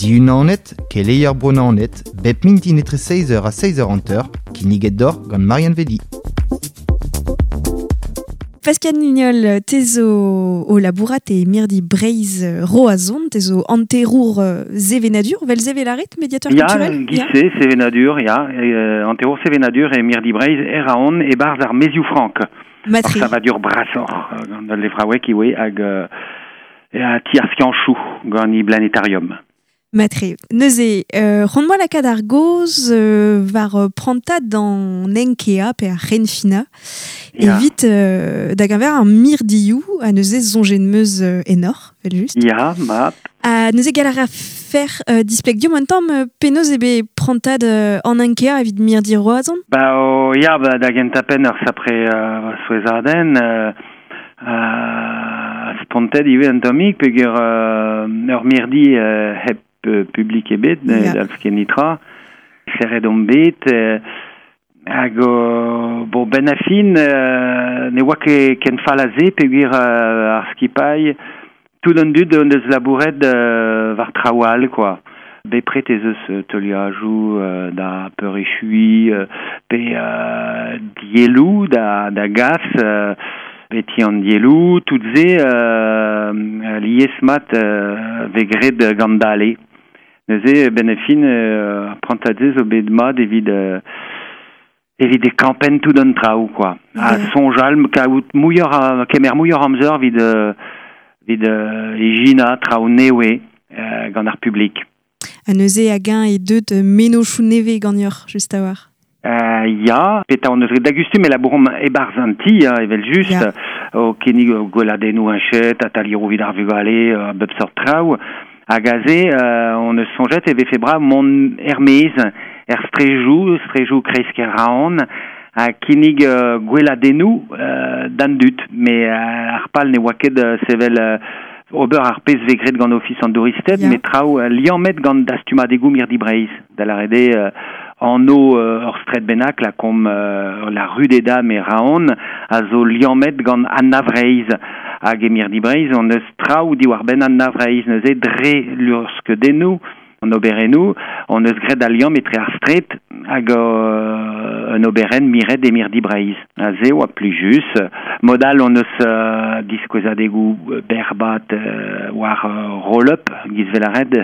Diunanet, keleier Bro-Naoned, bep mintin etre 6h ha 6h50, kinniget deoc'h gant Marianne Vedi. Pascal Nignol, te zo o labourat e mirdi Breizh Roazhon, te zo hanterour sevenadur, vel sevelaret, mediateur Ya, culturel? giz-se, sevenadur, ya, hanterour sevenadur e mirdi Breizh Eraon e-barzh ar Maezioù Frank. Ur Matre. savadur brasoc'h gant al levraoueg ivez hag a ti ar skianchoù gant e planetarium. Matre. Neuze, c'hoant 'moa lakaat ar gaoz war prantad an Enkea pe ar C'henfinañ Ya. evit da geñver ar mirdioù ha neuze soñjet 'm eus enoc'h, evel-just. Ya, mat. Ha neuze gall a rafer displeg deomp un tamm penaos eo bet prantad an Enkea evit mirdi Roazhon? Ba, o, ya, ba, da gentañ-penn ur sapre souezhadenn, spontet ivez un tammig peogwir ur mirdi hep publik ebet, ne Ya. dalv ket netra. Serret omp bet, hag bon, ben a fin, ne oa ket ken fall a se peogwir ar skipailh, tout an dud hon deus labouret war traoù all, quoi. Bepred ez eus teuliajoù da peurechuiñ pe dielloù da gas, beti an dielloù, tout se lies mat vez graet gant dale. Neuze, ben a fin, ar prantad-se zo bet mat evit evit e kampenn tout an traoù, quoi. Ha Ya. soñjal, kaout muioc'h a, kemer muioc'h amzer evit, evit ijinañ traoù nevez gant ar publik. Ha neuze hag-eñ e deut mennozhioù nevez ganeoc'h, just a-walc'h. Ya, petra hon eus graet da gustum e labouromp e-barzh an ti, hein, evel-just, Ya. o kinnig gweladennoù heñchet, atalieroù evit ar vugale, a bep seurt traoù. Hag aze, hon eus soñjet e vefe brav mont er-maez, er strejoù, strejoù kreiz-kêr Raon, ha kinnig gweladennoù d'an dud. Mais ar pal ne oa ket sevel ober ar pezh vez graet gant Ofis an Douristed, Ya. met traoù liammet gant dastumadegoù mirdi Breizh. Da lâret eo anv ur straed bennak, lakaomp la rue des Dames e Raon, a zo liammet gant Anna Vreizh. Hag e mirdi Breizh, hon eus traoù diwar-benn Anna Vreizh. Neuze dre luc'hskeudennoù, an oberennoù, hon eus graet al liamm etre ar straed hag un oberenn miret e mirdi Breizh. Ha se oa plijus. Mod all hon eus diskouezadegoù berbat war roll-up, giz velaret.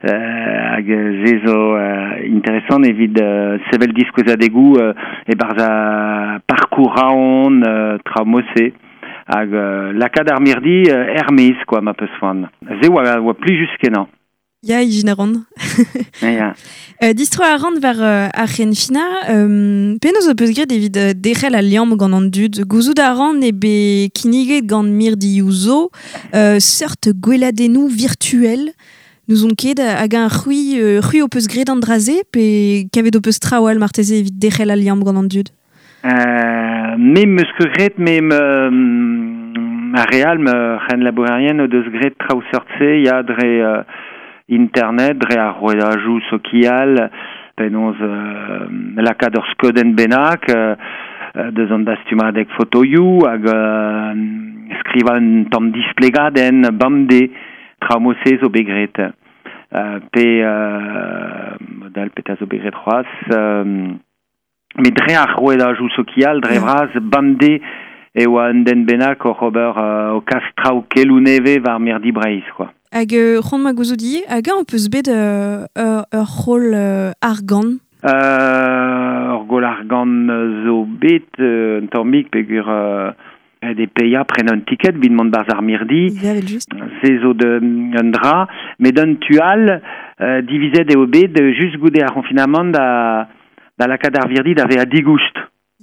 Hag se zo interesant evit sevel diskouezadegoù e-barzh a parkour Raon, traoù mod-se. Hag lakaat ar mirdi er-maez, quoi, ma peus c'hoant. Se oa plijus kenañ. Ya, ijin a ran. Ya. Distro a ran war ar c'henfinañ, penaos ho peus graet evit derc'hel al liamm gant an dud? Gouzout a ran eo bet kinniget gant mirdioù zo, seurt gweladennoù virtuel. N'ouzon ket hag un c'hwi, c'hwi ho peus graet an dra-se, pe kavet ho peus traoù all marteze evit derc'hel al liamm gant an dud? Me 'm eus ket graet, me ar re all, ma c'henlabourerien o deus graet traoù seurt-se, ya, dre internet, dre ar rouedajoù sokial, penaos lakaat ur skeudenn bennak, deus an dastumadeg fotoioù hag skrivañ un tamm displegadenn bemdez, traoù mod-se zo bet graet. Pe modal petra zo bet graet c'hoazh, met dre ar rouedajoù sokial, dre Ya. vras, bemdez e oa un den bennak oc'h ober o kas traoù keloù nevez war mirdi Breizh, quoi. Hag c'hoant 'ma gouzout ivez, hag-eñ ho peus bet ur c'holl argant? Ur goll argant zo bet un tammig peogwir ret eo paeañ prenañ un ticket evit mont barzh ar mirdi. Ya, evel-just. Se zo de, un dra, met un tu all, divizet eo bet just goude ar c'honfinamant da lakaat ar virdi da vezañ digoust.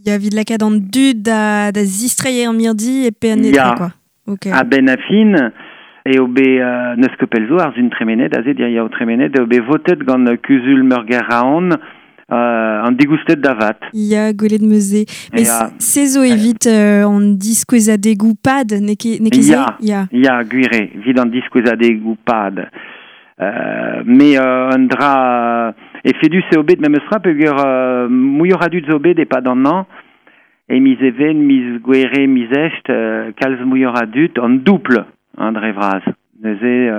Ya, evit lakaat an dud da zistreiñ ar mirdi e pe an netra, Ya. quoi. Ok. A-benn a fin, eo bet n'eus ket pell zo ar sun tremenet, aze diriaou tremenet, eo bet votet gant Kuzul Meurgêr Raon an digoustet da vat. Ya, gwelet 'm eus se. Mais Ya. se zo evit an diskouezadegoù pad, n'eo ket, n'eo ket se? Ya. Ya. Ya, gwir eo, evit an diskouezadegoù pad. Mais un dra efedus eo bet memes tra peogwir muioc'h a dud zo bet e-pad an hañv, e miz Even, miz Gouere, miz Echt, kalz muioc'h a dud, an doubl, hein, dre vras. Neuze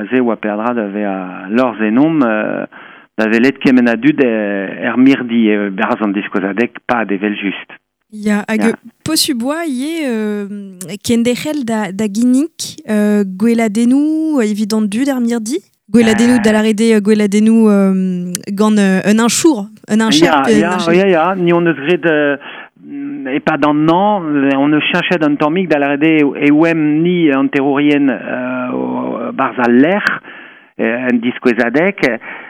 aze oa perdra da ve a lorz enom da velet kement a dud er mirdi beraz an diskoazadek pa evel just. Ya, hag ya. Posuboa ie kendechel da ginnik gweladennou evit an dud ar mirdi? Gweladennou da l'arede gweladennou gant un inchour, un incher. Ya, ni on eus gret e pa d'an an, on eus chenchet an tammig da l'arede e oem ni an terrorien barz al lec'h, en diskouezadek,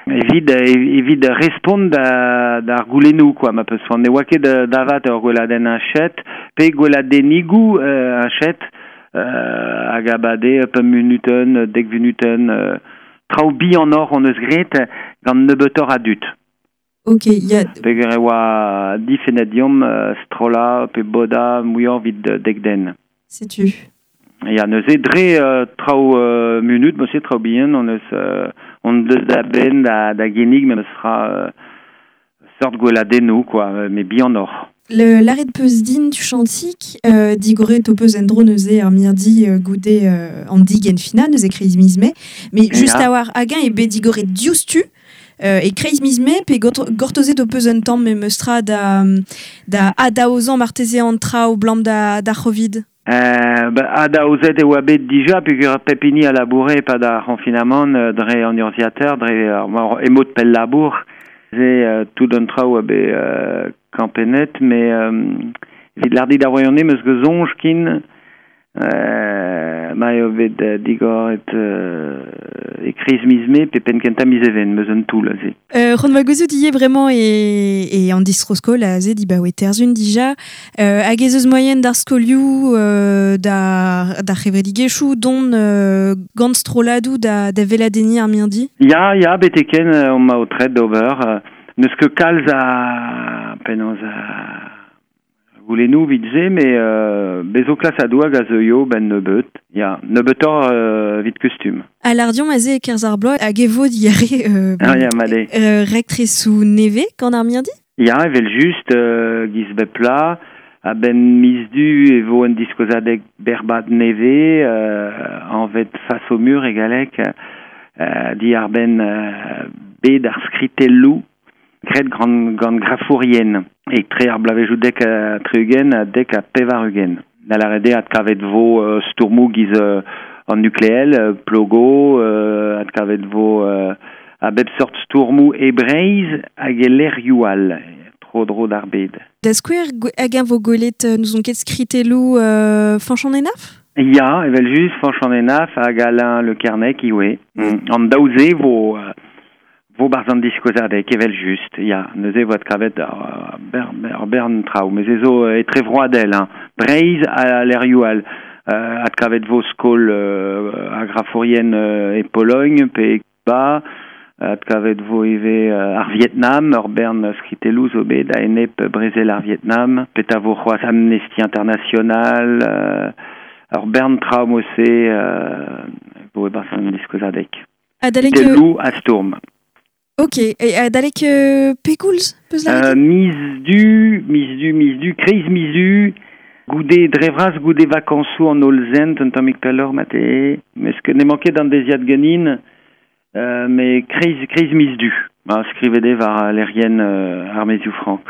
evit respond d'ar goulennou, quoi, ma peus ne oa ket davat ur gweladenn anchet, pe gweladennigou anchet, hag abade pemp minuten, dek minuten, traoù bi an or on eus gret gant nebeutoc'h a dud. Ok, ya... Peogwir e oa difennet diomp strolla pe boda muioc'h evit dek den. Setu. Ya, neuze dre traoù munut, mosse traoù bihan, on eus on deus da benn da ginnig, me sera sort gweladennoù, quoi, mais bihan oc'h. L'arrêt de peus din tu chantik, digoret o peus endro neuze ar mirdi goude an dig en fina, neuze kreiz miz mae, mais just a war hag-eñ e bet digoret diouzhtu, e kreiz miz mae, pe gortozet o peus un tamm me meustra da adaozañ marteze an traoù blam da Covid. Adaozet e oa bet dija, peogwir pep hini a laboure pa da c'honfinamant dre an urzhiateur, dre emod pell labour, ze tout an traoù a bet kampenet, mais evit l'ardi da voyone meus ket soñj kin ma eo bet digoret e kriz miz mae pe penn kentañ miz even, meus un toull aze. C'hoant va gouzout ivez vraiment e an distro-skol aze di ba oe terzun dija, hag ez eus moyen d'ar skolioù d'ar c'hevredigezhioù don gant strolladoù da veladenniñ ar mirdi? Ya, beteken on ma o tret d'ober. N'eus ket kalz a penaos a goulennoù evit se, mais bezo klas a doag a zeuio ben nebeut. Ya, nebeutoc'h evit kustum. A l'ardion aze e kerzh ar bloaz hag e vo diare rektresoù nevez gant ar mirdi? Ya, evel just, giz bep pla, a ben miz du e vo un diskouezadeg berbad nevez, anvet face au mur e galleg, di ar ben bet ar skritelloù gret gant grafourien. E tre ar blavejoù dek a tri-ugent ha dek a pevar-ugent. Da l'arede ad kavet vo stourmoù giz an nukleel, plogo, ad kavet vo a bep sort stourmoù e Breizh hag e lec'hioù all, tro dro d'ar bed. Da skouer hag eñ vo gwelet n'ouzon ket skritelloù Fañch an Henaff? Ya, evel just, Fañch an Henaff hag Alain Le Kernek iwe. An daou-se vo barz an diskouezadeg, evel just, ya, neuze vo kavet ar bern traoù, mais ze zo etrevroadel, hein. Breizh a lec'hioù all, ad kavet vo skol a grafourien e Pologne, pe ba, ad kavet vo ivez ar Vietnam, ur bern skritelloù zo bet a enep brezel ar Vietnam, pet a vo c'hoazh Amnesty International, ur bern traoù mose vo e barz an diskouezadeg. Skritelloù a stourm. Ok, e adalek pegoulz peus lâret? Miz du, kreiz miz du, goude drevraz, goude vakansoù an holl zent, un tammig pelloc'h mate, meus ket n'emañ ket an deziad ganin, mais kreiz miz du. Ma skrivet eo war lec'hienn ar Maezioù Frank.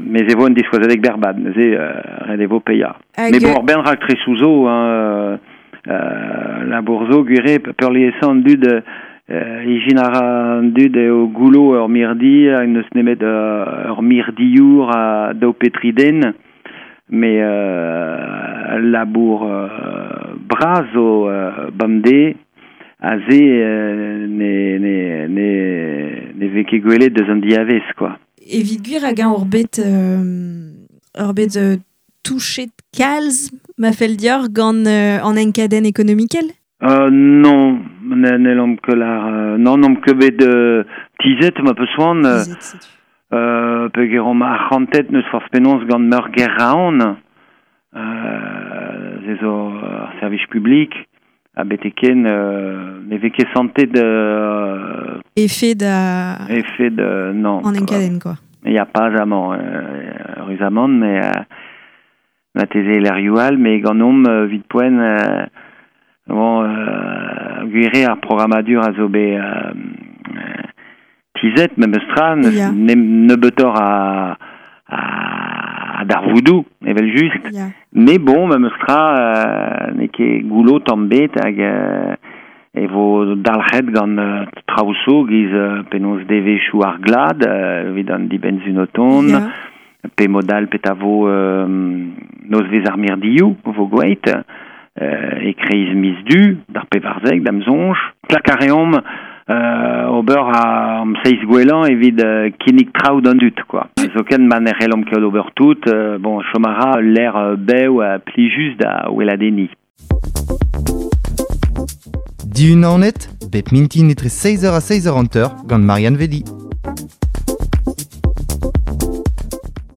Mais e vo un diskouezadeg berbad, neuze ret e vo paeañ. Mais bon, ur bern raktresoù zo, hein, labour zo, gwir eo, peurliesañ an dud ijin ar an dud eo goulo ur mirdi, n'eus nemet ur mirdiour a daou pe tri den, mais labour bras zo bemdez, aze ne vez ket gwelet deus an diavez, quoi. Evit gwir hag eñ ur bet touchet kalz ma fell dioc'h gant an enkadenn ekonomikel? Non, n'hellomp ket lar, non, n'omp ket bet tizet ma peus c'hoant, peogwir omp arc'hantet n'eus forzh penaos gant meur Geraon, ze zo ar servij publik, a beteken ne vez ket santet Effet da... Effet de... non. En enkadenn, quoi. Il y a pas amañ, heureusement, mais ma teze lec'hioù all, mais gant omp evit poent Bon, gwire ar programmadur a zo be tizet, memes tra, Ya. ne, a, a, a darvoudou, evel just. Ya. Mais bon, memes tra, ne ket goulo tamm bet hag e vo dalc'het gant traoù giz penaos devezhioù ar glad, evit an dibenn oton, Ya. pe modal pet a vo nozvez ar mirdioù, vo gweit, e kreiz miz du, d'ar pevarzek, d'am zonj. Klak a reomp ober a am seiz gwelan evit kinnig traoù d'an dud, quoi. Zoken ma ne c'hellomp ket ober tout, bon, chom a ra l'air bev a plijus da weladeni. Dihun Naoned, bep mintin etre 6h ha 6h hanter gant Marianne Vedi.